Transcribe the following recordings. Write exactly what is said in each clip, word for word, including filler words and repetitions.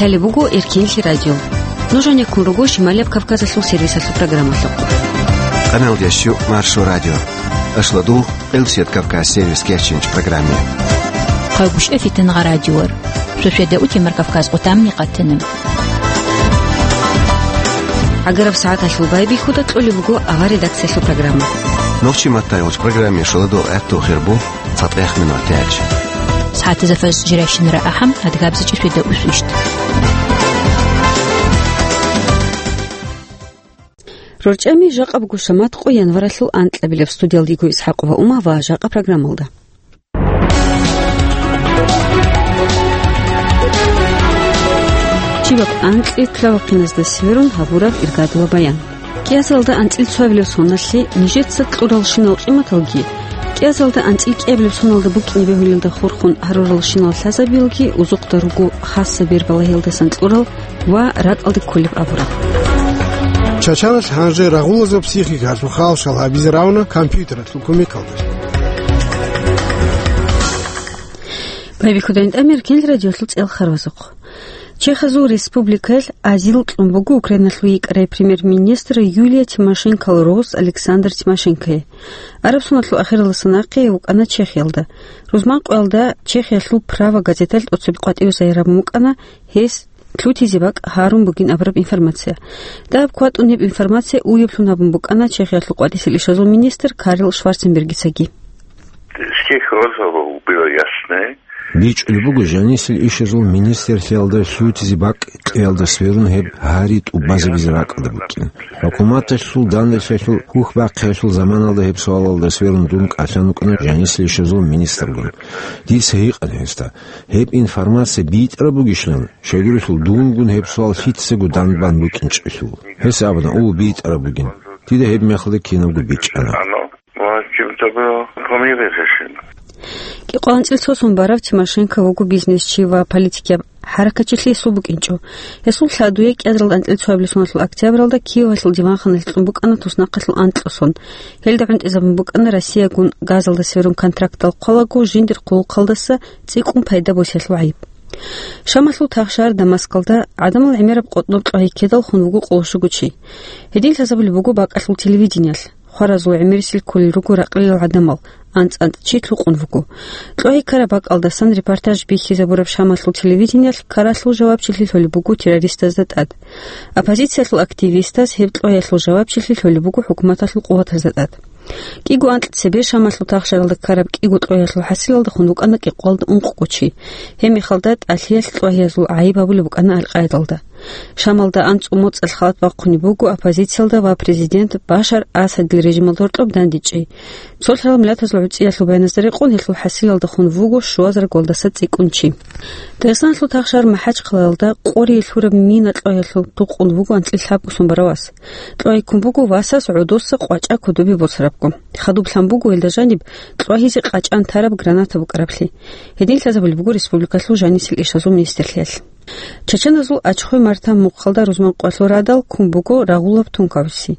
Лъалеб буго Эркенлъи радио. Нуж гьанеккун руго Шималияб Кавказалъул сервисалъул программалъухъ. Къамел ящу Маршо радио. Ашладул Элсет Кавказ сервис кечинч программе. Хъагушев Фитангъа радиор. Шошеда утемар Кавказ къутамни къатанам. Агараб сагӀаталъул байбихьуда кьолеб буго авар редакциялъул программа. Нохчи маттай гъоч программе шоладул гӀатту хирбу цатӀех минут тяч. СагӀатазда фаз жирайщинара ахӀам, адгабзичӀи шведа усвищт. РорчӀами жакъа буго шамат къо январалъул анкьабилеб. Студиялда йиго ИсхӀакъова Ума ва жакъа программалда. Чибаб анкьи лъавахъиназда сверун гьабураб иргадула баян. КӀиазалда анцӀил цоабилеб соналъе нижеца кьуралщинал къиматалги, кӀиазалда анцӀил кӀиабилеб соналда букӀине бегьулелда хурхун гьаруралщинал лъазабиялги узухъда руго хасса бербалагьиялдасан кьурал ва ракӀалде кколеб абураб. Чачаналъ гьанже рагъулазул психикалъул халшал гьабизе равна компьютералъул кумекалда. Байбихьудайин тӀамир кел радиолъул цӀел харвазухъ. Чехазул республикаялъ азил кьун буго Украиналъул йикӀарай премьер-министр Юлия Тимошенкоял рос Александр Тимошенкое. Араб соналъул ахиралдасан нахъе вукӀана Чехиялда. Рузманкъоялда Чехиялъул «Право» газеталъ тӀоцебе къватӀиве загьир гьабун букӀана гьес лъутизе бакӀ гьарун бугин абураб информация. Дагьаб кватӀун гьеб информация уяблъун гьабун букӀана Чехиялъул къватӀисел ишазул министр Карл Шварценбергицаги. Здесь было ясно. БичӀчӀулеб буго, жанисел ишазул министрлъиялда лъутизе бакӀ кьеялда сверун гьеб гьари тӀубазабизе ракӀалда букӀин. ХӀукуматалъул данделъиялъул хьухь бахъиялъул заманалда гьеб суалалда сверун дун кӀалъан вукӀана жанисел ишазул министргун. Дица гьикъана гьесда, гьеб информация битӀараб бугищинан, щайгурелъул дунгун гьеб суал лъицаго данбан букӀинчӀелъул. Гьес абуна, о, битӀараб бугин. Дида гьеб мехалда кинабго бичӀчӀана. Оно, ну, а чем-то было по мере решено. КӀикъоялда анцӀил цо сон барав Тимошенко вуго бизнесчи ва политикияб хӀаракатчилъи гьесул букӀинчӀо. Гьесул лъадуе кӀиазалда анцӀил цоабилеб соналъул октябралда Киевалъул диванханалъ кьун букӀана туснахъалъул анкьго сон. Гьелда гӀунтӀизабун букӀана Россиягун газалда сверун контрактал хъвалаго жиндир хъулухъалдаса цӀикӀкӀун пайда босиялъул гӀайиб. Шамалъул тахшагьар Дамаскалда гӀадамал гӀемераб къотӀноб кьвагьи ккедал хун вуго къоло щуго чи. Гьедин лъазабулеб буго бакӀалъул телевидениялъ. Хваразул гӀемерисел кколел руго ракълилал гӀадамал, анцӀ-анцӀ чи лъукъун вуго. Кьвагьи ккараб бакӀалдасан репортаж бихьизабураб Шамалъул телевидениялъ ккаралъул жавабчилъи лъолеб буго террористазда тӀад. Оппозициялъул активистаз гьеб кьвагьиялъул жавабчилъи лъолеб буго хӀукуматалъул къуватазда тӀад. КӀиго анкь цебе Шамалъул тахшаралда ккараб кӀиго кьвагьиялъул хӀасилалда хун вукӀана кӀикъоялда ункъго чи. Гьеб мехалда тӀалъиялъ кьвагьиязул гӀайиб гьабулеб букӀана Аль-Къаидалда. Шамалда анцӀго моцӀалъ халат бахъунеб буго оппозициялда ва президент Башар Асадил режималда гьоркьоб дандечӀей. Цолъарал Миллатазул ГӀуцӀиялъул баяназда рекъон гьелъул хӀасилалда хун вуго щуазараг валдаса цӀикӀкӀун чи. Дагъистаналъул тахшар МахӀачхъалаялда къорие лъураб мина кьвагьиялъул тукъун вуго анцӀил лъабго сон барав вас. Кьвагьи ккун буго васас гӀодоса къвачӀа кодобе босарабго. Хадуб лъан буго гьелда жаниб кьвагьизе къачӀан тараб граната букӀараблъи. Гьедин лъазабулеб буго республикалъул жанисел ишазул министрлъиялъ. Чачаназул Ачхой-Марта мухъалда рузманкъоялъул радал ккун буго рагъулаб тункабиси.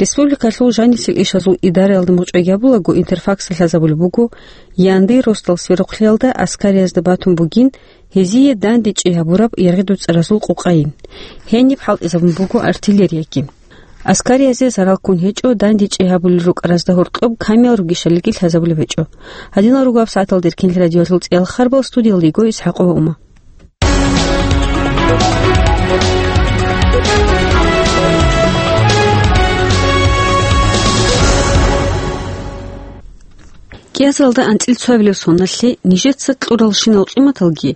Республикалъул жанисел ишазул идараялда мугъчӀвай гьабулаго, Интерфаксалъ лъазабулеб буго, Яндир росдал сверухълъиялда аскариязда батун бугин гьезие дандечӀей гьабураб яргъи-дуцӀаразул къукъайин. Гьениб хӀалтӀизабун буго артиллерияги. Аскариязе зарал ккун гьечӀо, дандечӀей гьабулел рукӀаразда гьоркьоб камерал ругищалиги лъазабулеб гьечӀо. Гьадинал руго гьаб сагӀаталда Эркенлъи радиоялъул цӀиялъ харбал, студиялда йиго ИсхӀакъова Ума. КӀиазалда анцӀил цоабилеб соналъе нижеца кьуралщинал къиматалги,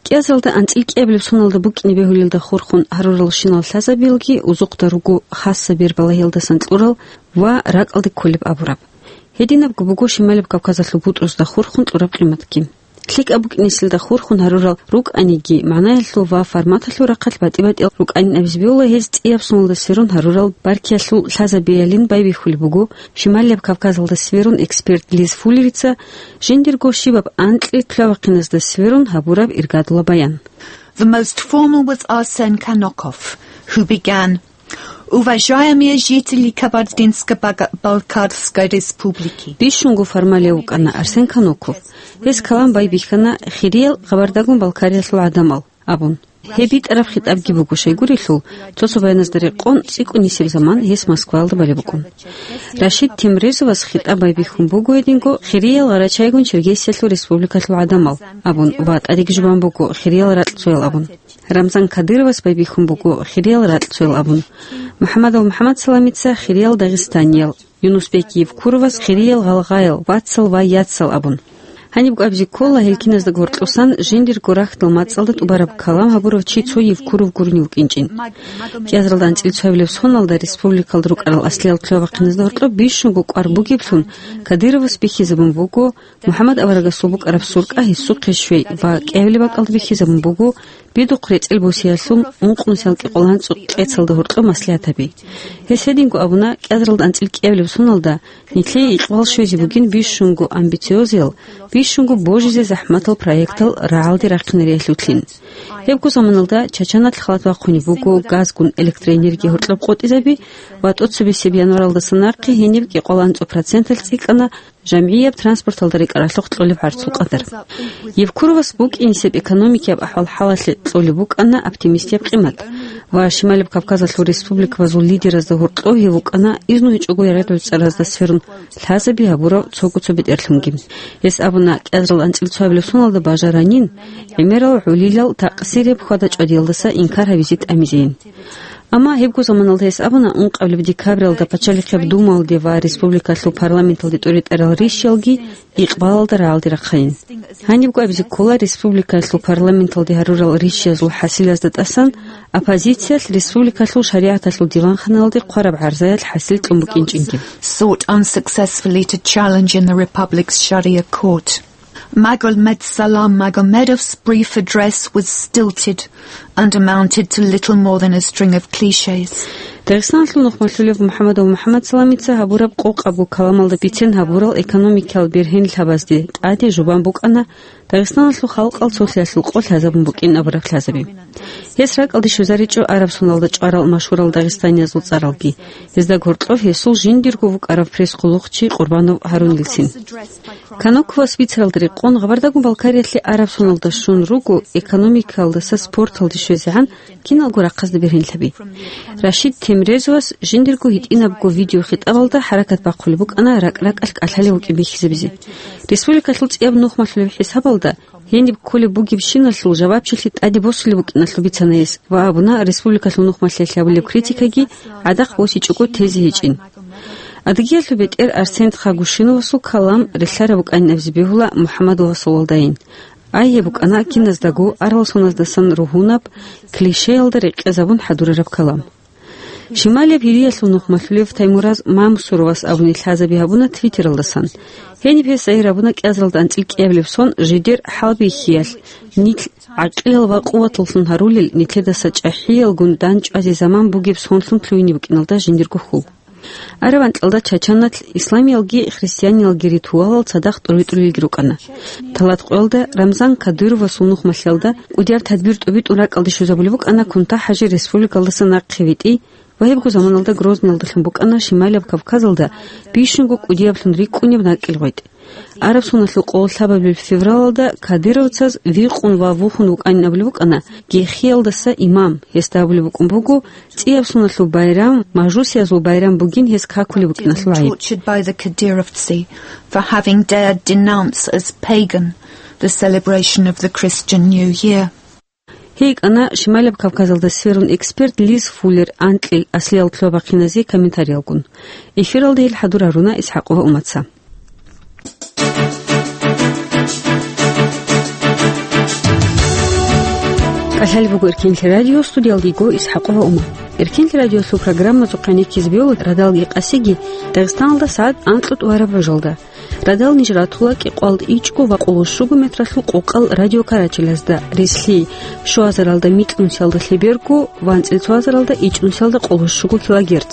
кӀиазалда анцӀил кӀиабилеб соналда букӀине бегьулелда хурхун гьаруралщинал лъазабиялги узухъда руго хасса бербалагьиялдасан кьурал ва ракӀалде кколеб абураб. Гьединабго буго Шималаб Кавказалъул бутӀрузда хурхун кьураб къиматги. ЛъикӀаб букӀинесилда хурхун гьарурал рукӀаниги, магӀнаялъул ва форматалъул рахъалъ батӀи-батӀиял рукӀанин абизе бегьула гьез цӀияб соналда сверун гьарурал баркиялъул лъазабиялин байбихьулеб буго Шималияб Кавказалда сверун эксперт Лиз Фуллерица, жиндирго щибаб анкьи лъавахъиназда сверун гьабураб иргадула баян. The most formal was Arsen Kanokov, who began, Уважаемые жители Кабардинско-Балкарской Республики. Бищунго формалев вукӀана Арсен Каноков. Гьес калам байбихьана, хириял Къабардагун-Балкариялъул гӀадамал, абун. Гьеб битӀараб хитӀабги буго, щайгурелъул, цо-цо баяназда рекъон цӀикӀкӀунисеб заман гьес Москваялда балеб букӀун. Рашид Темрезовас хитӀаб байбихьун буго гьединго хириял гъарачайгун Черкесиялъул республикалъул гӀадамал абун ва тӀадеги жубан буго хириял ракьцоял абун. Рамзан Кадыровас байбихьун буго хириял ракьцоял абун. МухӀаммадов МухӀаммадсаламица хириял дагъистаниял, Юнусбек Евкуровас хириял гъалгъаял, вацал ва яцал абун. Гьанибго абизе ккола, гьел киназда гьоркьосан жиндирго рахьдал мацӀалда тӀубараб калам гьабурав чи цо Евкуров гурони вукӀинчӀин. КӀиазаралда анцӀила цоабилеб соналда республикалда рукӀарал аслиял лъугьа-бахъиназда гьоркьоб бищунго кӀвар бугеблъун Кадыровас бихьизабун буго МухӀаммад аварагасул букӀараб суркъа гьесухъе щвей ва кӀиабилеб бакӀалда бихьизабун буго Бидухъ рецӀел босиялъул ункънусиялда кӀикъоялда анцӀила къецалда гьоркьоб маслигӀат гьаби. Гьес гьединго абуна, кӀиазаралда анцӀила кӀиабилеб соналда нилъее икъбал щвезе бугин бищунго амбициозиял, бищунго божизе захӀматал проектал рагӀалде рахъинариялъулъин. Гьебго заманалда Чачаналъ халат бахъунеб буго газгун электроэнергия гьоркьоб къотӀизаби ва тӀоцебесеб январалдаса нахъе гьениб кӀикъоялда анцӀила проценталъ цӀикӀкӀана жамгӀияб транспорталда рекӀаралъухъ кьолеб гӀарцул къадар. Евкуровас букӀинисеб экономикияб ахӀвал-хӀалалъе кьолеб букӀана оптимистияб къимат ва Шималаб Кавказалъул республикабазул лидеразда гьоркьов гьев вукӀана изну гьечӀого ярагъ-гӀуцӀаразда сверун лъазаби гьабурав цого-цо бетӀерлъунги. Гьес абуна, кӀиазарал анцӀила цоабилеб соналда бажаранин гӀемерал гӀолилал такъсияб хьвада-чӀвадиялдаса инкар гьабизе тӀамизейин. Амма гьебго заманалда гьес абуна, ункъабилеб декабралда Пачалихъияб Думалде ва республикалъул парламенталде тӀуритӀарал рищиялги икъбалалда рагӀалде рахъайин. Гьанибго абизе ккола, республикалъул парламенталде гьарурал рищиязул хӀасилазда тӀасан оппозициялъ республикалъул шаригӀаталъул диванханалде хъвараб гӀарзаялъ хӀасил кьун букӀинчӀинги. Sought unsuccessfully to challenge in the Republic's Sharia court. Magomed Salam Magomedov's brief address was stilted and amounted to little more than a string of cliches. Дагъистаналъул нухмалъулев МухӀаммадов МухӀаммадсаламица гьабураб къокъабго каламалда бицен гьабурал экономикиял бергьенлъабазде тӀаде жубан букӀана Дагъистаналъул халкъал цолъиялъул къо лъазабун букӀин абураб лъазаби. Гьес ракӀалде щвезаричӀо араб соналда чӀварал машгьурал дагъистаниязул цӀаралги. Гьезда гьоркьоб гьесул жиндирго вукӀарав пресс-къуллухъчи Къурбанов Гьарунилцин. Каноковас бицаралда рекъон, Гъабардагун Балкариялъе араб соналда щун руго экономикалдаса спорталде щвезегӀан киналго рахъазда бергьенлъаби. Рашид Темрезовас жиндирго гьитӀинабго видеохитӀабалда хӀаракат бахъулеб букӀана ракӀ-ракӀалъ кӀалъалев вукӀин бихьизабизе. Республикалъул цӀияб нухмалъулеб хӀисабалда гьениб кколеб бугебщиналъул жавабчилъи тӀаде босулеб букӀиналъул бицана гьес ва абуна, республикалъул нухмалъиялъе гьабулеб критикаги гӀадахъ босичӀого тезе гьечӀин. Адыгиялъул бетӀер Арсент Хагушиновасул калам релълъараб букӀанин абизе бегьула МухӀаммадовасул валдайин. Ай гьеб букӀана киназдаго арал соназдасан ругьунаб, клишеялда рекъезабун хӀадурараб калам. Шималияб Гьириялъул нухмалъулев Таймураз Мамсуровас абуни лъазаби гьабуна Твиттералдасан. Гьениб гьес загьир гьабуна кӀиазаралда анцӀила кӀиабилеб сон жидер хӀалбихьиялъ, нилъ гӀакъилал ва къуваталлъун гьарулел, нилъедаса чӀахӀиялгун дандчӀвазе заман бугеб сонлъун лъугьине букӀиналда жиндирго хьул. Араб анкьалда Чачаналъ исламиялги христианиялги ритуалал цадахъ тӀуритӀулелги рукӀана. Талат къоялда Рамзан Кадыровасул нухмалъиялда кӀудияб тадбир тӀубитӀун ракӀалде щвезабулеб букӀана Кунта-ХӀажи республикалдаса нахъе витӀи ва гьебго заманалда Грозныйалдалъун букӀана Шималияб Кавказалда бищунго кӀудияблъун рикӀкӀунеб накӀкӀел гъветӀ. Араб соналъул къоло лъабабилеб февралалда кадыровцаз викъун ва вухьун вукӀанин абулеб букӀана гехиялдаса имам, гьесда абулеб букӀун буго, цӀияб соналъул байрам мажусиязул байрам бугин гьес какулеб букӀиналъул гӀайиб. Tortured by the Kadyrovtsi for having dared denounce as pagan the celebration of the Christian New Year. Гьей кӀана Шималаб Кавказалда сверун эксперт Лиз Фуллер анкьил аслиял лъугьа-бахъиназе комментариялгун. Эфиралда гьел хӀадур гьаруна ИсхӀакъова Уматца. КӀалъалеб буго Эркенлъи радио, студиялда йиго ИсхӀакъова Ума. Эркенлъи радиолъул программазухъе гӀенеккизе бегьула радалги къасиги Дагъистаналда сагӀат анкьго тӀубараб гӀужалда. Радал ниж ратула кӀикъоялда ичӀго ва къоло щуго метралъул къокъал радиокарачелазда, релълъи щуазаралда микьнусиялда лъеберго ва анцӀила цоазаралда ичӀнусиялда къоло щуго килогерц.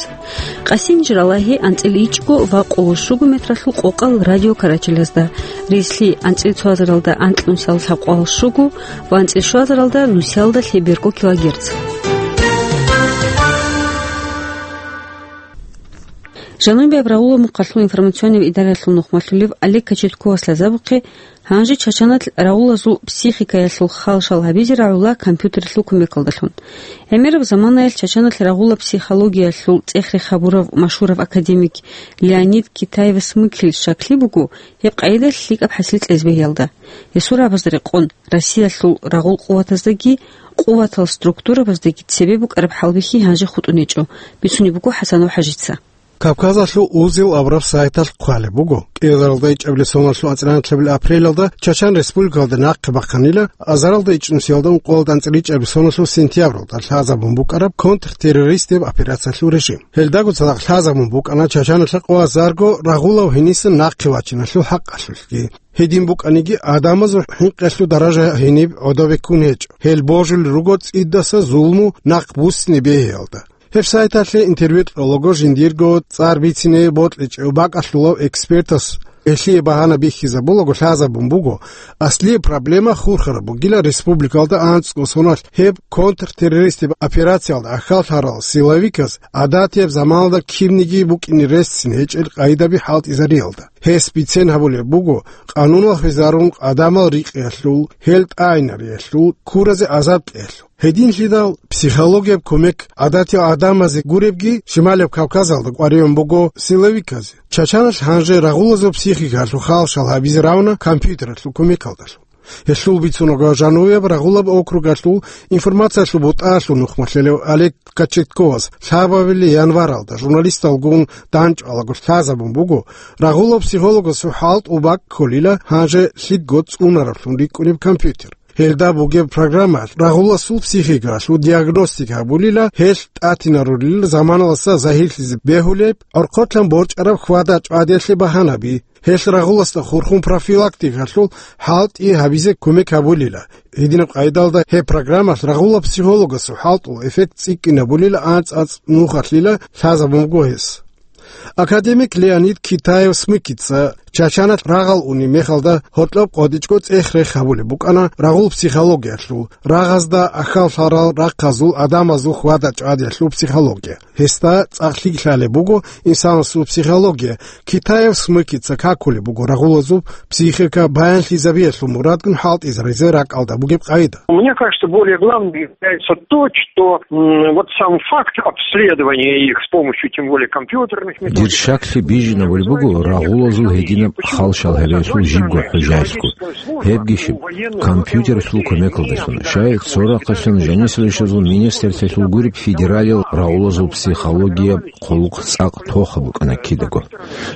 Къаси ниж ралагьи анцӀила ичӀго ва къоло щуго метралъул къокъал радиокарачелазда, релълъи анцӀила цоазаралда анкьнусиялда лъабкъоялда щуго ва анцӀила щуазаралда нусиялда лъеберго килогерц. Жанубияб рагъула мухъалъул информационный идаралъул нухмалъулев Олег Кочетковас лъазабухъе Гьанже Чачаналъ рагъулазул психикаялъул хал-шал гьабизе рагӀула компьютералъул кумекалдалъун. ГӀемераб заманаялъ Чачаналъ рагъула психологиялъул цӀех-рех гьабурав машгьурав академик Леонид Китаев-Смыкиль щаклъи буго гьеб къайда лъикӀаб хӀасил кьезе бегьиялда. Гьесул рагӀабазда рекъон, Россиялъул рагъул къуватаздаги къуватал структурабаздаги цебе букӀараб хӀалбихьи гьанже хутӀун гьечӀо, бицунеб буго ХӀасанов ХӀажица. Кавказалъул узел абураб сайталъ хъвалеб буго, кӀиазаралда ичӀабилеб соналъул анцӀила апрелалда Чачан Республикалда нахъе бахъанила азаралда ичӀнусиялда ункъоялда анцӀила ичӀабилеб соналъул сентябралда лъазабун букӀараб контртеррористияб операциялъул режим. Гьелдаго цадахъ лъазабун букӀана Чачаналъа къоязарго рагъулав гьенисан нахъе вачиналъул хӀакъалъулъги. Гьедин букӀаниги, гӀадамазул хӀинкъиялъул даража гьениб гӀодобеккун гьечӀо. Гьел божулел руго цӀидаса зулму нахъ буссине бегьиялда. Гьеб сайталъе интервью кьолаго жиндирго цӀар бицине бокьичӀев бакӀалъулав экспертас гьелъие багьана бихьизабулаго лъазабун буго, аслияб проблема хурхараб бугила республикалда анцӀго соналъ гьеб контртеррористияб операциялда ахьаллъарал силовиказ гӀадатияб заманалда кибниги букӀине ресцин гьечӀел къайдаби хӀалтӀизариялда. Гьес бицен гьабулеб буго, къануналъ везарун гӀадамал рикъиялъул, гьел тӀагӀинариялъул, ккуразе азаб кьеялъул. Гьединлъидал психологияб кумек гӀадатиял гӀадамазе гуребги Шималияб Кавказалда къваригӀун буго силовиказе. Чачаналъ гьанже рагъулазул психикаялъул хал-шал гьабизе равна компьютералъул кумекалдалъун. Гьелъул бицунаго жануяб рагъулаб округалъул информациялъул бутӀаялъул нухмалъулев Олег Кочетковас лъабабилеб январалда журналисталгун дандчӀвалаго лъазабун буго, рагъулаб психологасул хӀалтӀул бакӀ кколила гьанже лъикӀго цӀунараблъун рикӀкӀунеб компьютер. Гьелда бугеб программаялъ рагъуласул психикаялъул диагностика гьабулила, гьелъ тӀатинарулел заманалдаса загьирлъизе бегьулеб, гӀорхъолъан борчӀараб хьвада-чӀвадиялъе багьанаби, гьелъ рагъуласда хурхун профилактикалъул хӀалтӀи гьабизе кумек гьабулила. Гьединаб къайдалда гьеб программалъ рагъулаб психологасул хӀалтӀул эффект цӀикӀкӀинабулила анцӀ-анцӀ нухалъила лъазабун буго гьес. Академик Леонид Китаев-Смыкица Чачаналъ рагъал унеб мехалда гьоркьоб къватӀичӀого цӀех-рех гьабулеб букӀана рагъул психологиялъул, рагъазда ахьаллъарал рахъазул гӀадамазул хьвада-чӀвадиялъул психология. Гьесда цӀакъ лъикӀ лъалеб буго инсанасул психология. Китаев-Смыкица какулеб буго рагъулазул психика баянлъизабиялъул мурадгун хӀалтӀизаризе ракӀалда бугеб къайда. Мне кажется, более главным является то, что, м, вот сам факт обследования их с помощью, тем более, компьютерных методик. Дир щаклъи бижинабулеб буго рагъулазул гьединаб хал-шал гьабиялъул жибго хӀужаялъго, гьебги щиб, компьютералъул кумекалдалъун, щай цо рахъалъан жанисел ишазул министрлъиялъул гуреб федералиял рагъулазул психологияб хъулухъ цӀакъ тохаб букӀана кидаго.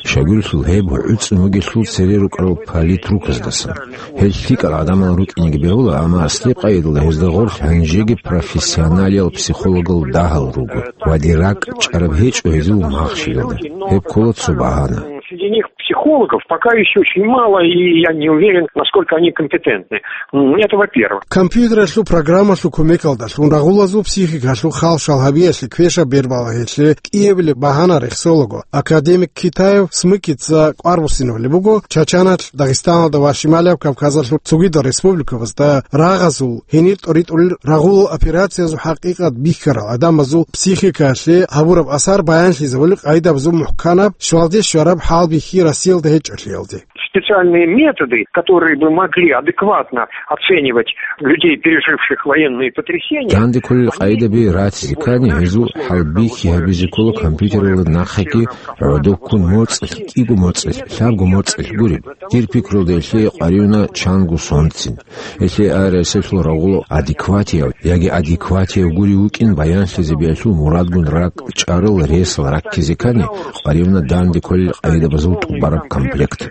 Щайгурелъул гьеб гӀуцӀун вугелъул цере рукӀарал политруказдасан. Гьел лъикӀал гӀадамал рукӀинеги бегьула, амма аслияб къайдалда гьезда гъорлъ гьанжеги профессионалиял психологал дагьал руго ва дир ракӀ чӀараб гьечӀо гьезул махщелалда. Гьеб ккола цо багьана. Среди них психологов пока еще очень мало, и я не уверен, насколько они компетентны. М, это во-первых. Компьютералъул программалъул кумекалдалъун рагъулазул психикалъул хал-шал гьабиялъе квешаб бер балагьиялъе кӀиабилеб багьана рехсолаго, академик Китаев-Смыкица кӀвар буссинабулеб буго Чачаналъ, Дагъистаналда ва Шималияб Кавказалъул цогидал республикабазда рагъазул, гьенир тӀоритӀулел рагъулал операциязул хӀакъикъат бихьарал гӀадамазул психикаялъе гьабураб асар баянлъизабулел къайдабазул мухӀканаб, щвалде щвараб хӀалбихьи Россиялда гьечӀолъиялде. Специальные методы, которые бы могли адекватно оценивать людей, переживших военные потрясения. Данде кколел къайдаби ратизе ккани, гьезул хӀалбихьи гьабизе ккола компьютералда нахъеги гӀодобккун моцӀалъ, кӀиго моцӀалъ, лъабго моцӀалъ гуреб. Дир пикрулда гьелъие къваригӀуна чанго сонцин. Гьелъие АРС-алъул рагъулав адекватияв яги адекватияв гурев вукӀин баянлъизабиялъул мурадгун ракӀ чӀарал ресал раккизе ккани, къваригӀуна данде кколел къайдабазул тӀубараб комплект.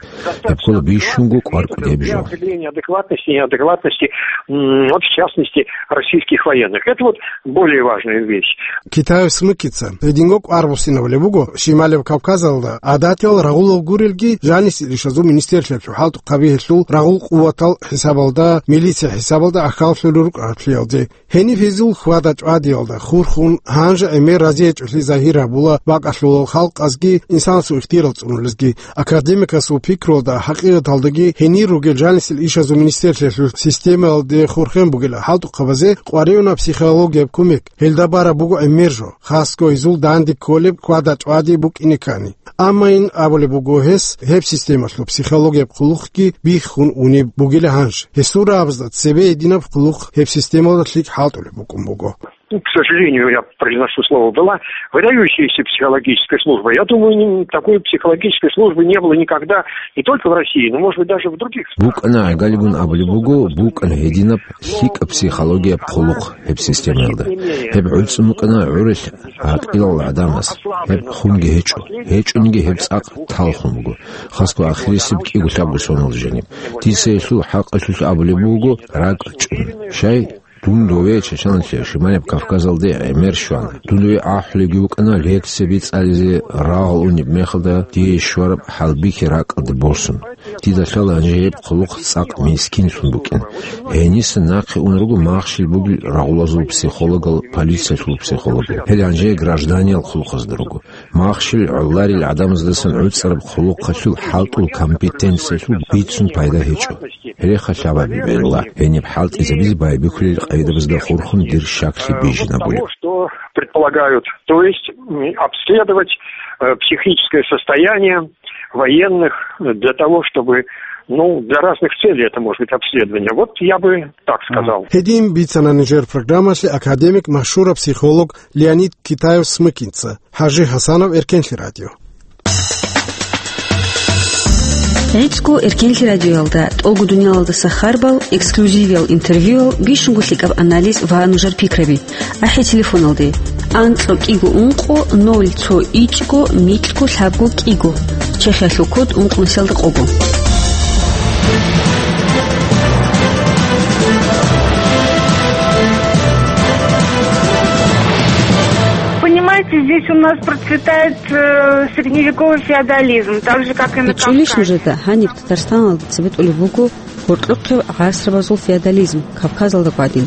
Гьеб ккола бищунго кӀвар кӀудияб жо. Определение адекватности и неадекватности, м, вот в частности, российских военных. Это вот более важная вещь. Китаев-Смыкица гьединго кӀвар буссинабулеб буго Шималияб Кавказалда гӀадатиял рагъулал гурелги жанисел ишазул министрлъиялъул хӀалтӀухъаби гьелъул рагъул къуватал хӀисабалда, милиция хӀисабалда ахьаллъулел рукӀаралъиялде. Гьениб гьезул хьвада-чӀвадиялда хурхун, гьанже гӀемер разиячӀолъи загьир гьабула бакӀалъулал халкъазги инсанасул ихтияр цӀунулел Академикасул пикруялда, хӀакъикъаталдаги гьенир ругел жанисел ишазул министерствоялъул системаялде хурхен бугел хӀалтӀухъабазе къваригӀуна психологияб кумек. Гьелда бараб буго гӀемер жо, хасго гьезул данде кколеб квада-тӀвади букӀине ккани. Амма ин абулеб буго гьес, гьеб системалъул психологияб хъулухъги биххун унеб бугила гьанж. Гьесул рагӀабазда цебе гьединаб хъулухъ гьеб системалда лъикӀ хӀалтӀулеб букӀун буго. Ну, к сожалению, я произношу слово «была», выдающаяся психологическая служба. Я думаю, не, такой психологической службы не было никогда, не только в России, но, может быть, даже в других странах. БукӀана гӀагалигун абулеб буго, букӀана гьединаб лъикӀаб психологияб хъулухъ гьеб системаялда. Гьеб гӀуцӀун букӀана гӀурал гӀакъилал гӀадамаз. Гьеб хунги гьечӀо. ГьечӀониги гьеб цӀакъ талхун буго. Хасго ахирисеб кӀиго-лъабго соналда жаниб. Дица гьелъул хӀакъалъулъ абулеб буго, ракӀ чӀун. Щай? Дун дове Чеченлъи Шималияб Кавказалде гӀемер щвана. Дун дове ахӀулебги букӀана лекцияби цӀализе рагъал унеб мехалда дие щвараб хӀалбихьи ракӀалде босун. Дида лъала гьанже гьеб хъулухъ цӀакъ мискинлъун букӀин. Гьениса нахъе ун руго махщел бугел рагъулазул психологал, полициялъул психологал. Гьел гьанже гражданиял хъулухъазда руго. Махщел гӀоларел гӀадамаздасан гӀуцӀараб хъулухъалъул хӀалтӀул компетенциялъул бицун пайда гьечӀо. Гьереха лъабаби бегӀла, гьениб хӀалтӀизабизе байбихьулел къайдабазда хурхун дир щаклъи бижинабулеб. Того, что предполагают, то есть, м, обследовать, э, психическое состояние военных, э, для того, чтобы, ну, для разных целей это может быть обследование. Вот я бы так сказал. Гьедин бицана нижер программалъе академик, машгьураб психолог Леонид Китаев-Смыкинца. ХӀажи ХӀасанов, Эркенлъи радио. ГӀицӀго Эркенлъи радиоялда тӀолго дуниялалдаса харбал, эксклюзивиял интервьюял, бищунго лъикӀаб анализ ва нужер пикраби. АхӀи телефоналде: анкьго кӀиго ункъо ноль цо ичӀго микьго лъабго кӀиго. Чехиялъул код ункънусиялда къого. Понимаете, здесь у нас процветает, э, средневековый феодализм, так же, как и на Кавказе. БичӀчӀулищ нужеда, гьаниб Татарстаналда цебетӀулеб буго гьоркьохъеб гӀасрабазул феодализм, Кавказалда гӀадин.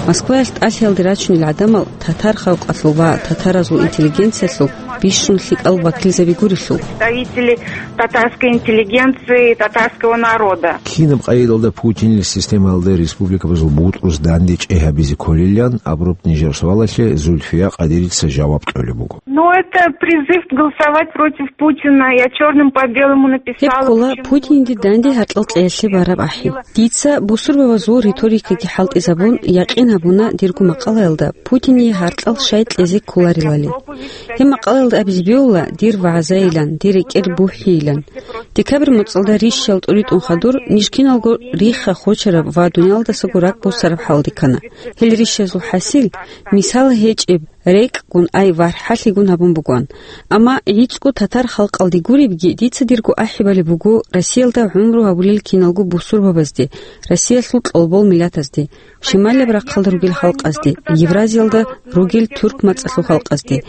Москваялъ ТӀалъиялде рачунел гӀадамал татар халкъалъул ва татаразул интеллигенциялъул бищун лъикӀал вакилзаби гурелъул. Представители татарской интеллигенции, татарского народа. Кинаб къайдалда Путинил системаялда республикабазул бутӀрус данде чӀей гьабизе кколилан абураб нижер суалалъе Зульфия Къадирица жаваб кьолеб буго. Но это призыв голосовать против Путина. Я чёрным по белому написала. Гьеб ккола Путинде данде гьаркьал кьеялъе бараб ахӀи. Дица бусурбабазул риторикаги хӀалтӀизабун, якъин гьабуна дирго макъалаялда Путине гьаркьал щай кьезе кколарилали. Гьеб макъалаялда абизе бегьула дир вагӀзайилан, дир рекӀел бухӀийилан. Декабрь моцӀалда рищал тӀуритӀун хадур ниж киналго рихха хочараб ва дуниялдасаго ракӀ босараб хӀалде ккана. Гьел рищазул хӀасил, мисал гьечӀеб, рекӀкӀун, ай, вархӀалъигун гьабун бугоан. Амма гӀицӀго татар халкъалде гуребги, дица дирго ахӀи балеб буго Россиялда гӀумру гьабулел киналго бусурбабазде, Россиялъул кьолбол миллатазде, шималияб рахъалда ругел халкъазде, Евразиялда ругел тюрк мацӀалъул халкъазде,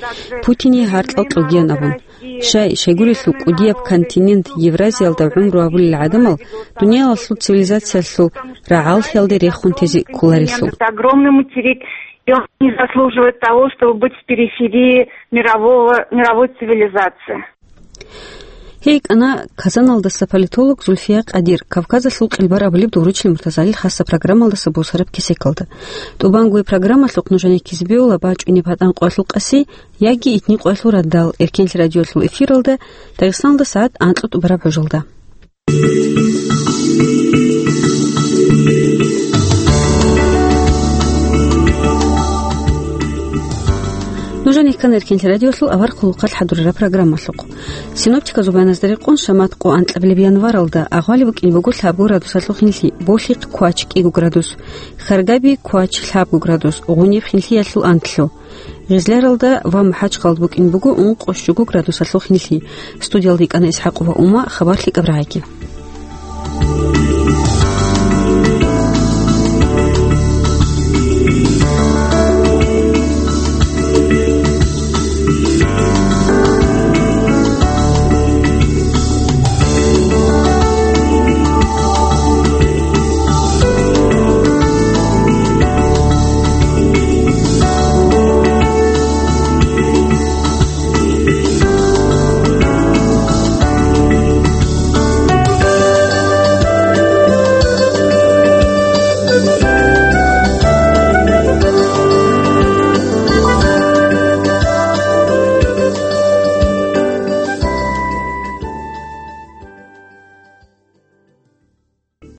Путине гьаркьал кьогиян абун. Щай, щайгурелъул кӀудияб континент Евразиялда гӀумру гьабулел гӀадамал дуниялалъул цивилизациялъул рагӀаллъиялде рехун тезе кколарелъул. Это огромный материк, и он не заслуживает того, чтобы быть в периферии мирового, мировой цивилизации. Гьей кӀана Казаналдаса политолог Зульфия Къадир, Кавказалъул къилбар абулеб Дуручил Муртазалил хасаб программалдаса босараб кесекалда. ТӀубанго программалъухъ нужеда ккезе бегьула бачӀунеб гьатӀан къоялъул къаси яги итни къоялъул радал, Эркенлъи радиоялъул эфиралда, Дагъистаналда сагӀат анкьго тӀубараб гӀужалда. Нужеда ккана Эркенлъи радиоялъул авар хъулухъалъ хӀадурараб программалъухъ. Синоптиказул баяназда рекъон, шамат къо анкьабилеб январалда агъвали букӀине буго лъабго градусалъул хинлъи, болъихъ квач кӀиго градус, хьаргаби квач лъабго градус, гъуниб хинлъиялъул анлъго. Гъизляралда ва МахӀачхъалда букӀине буго ункъо щуго градусалъул хинлъи. Студиялда йикӀана ИсхӀакъова Ума, хабар лъикӀаб рагӀиги.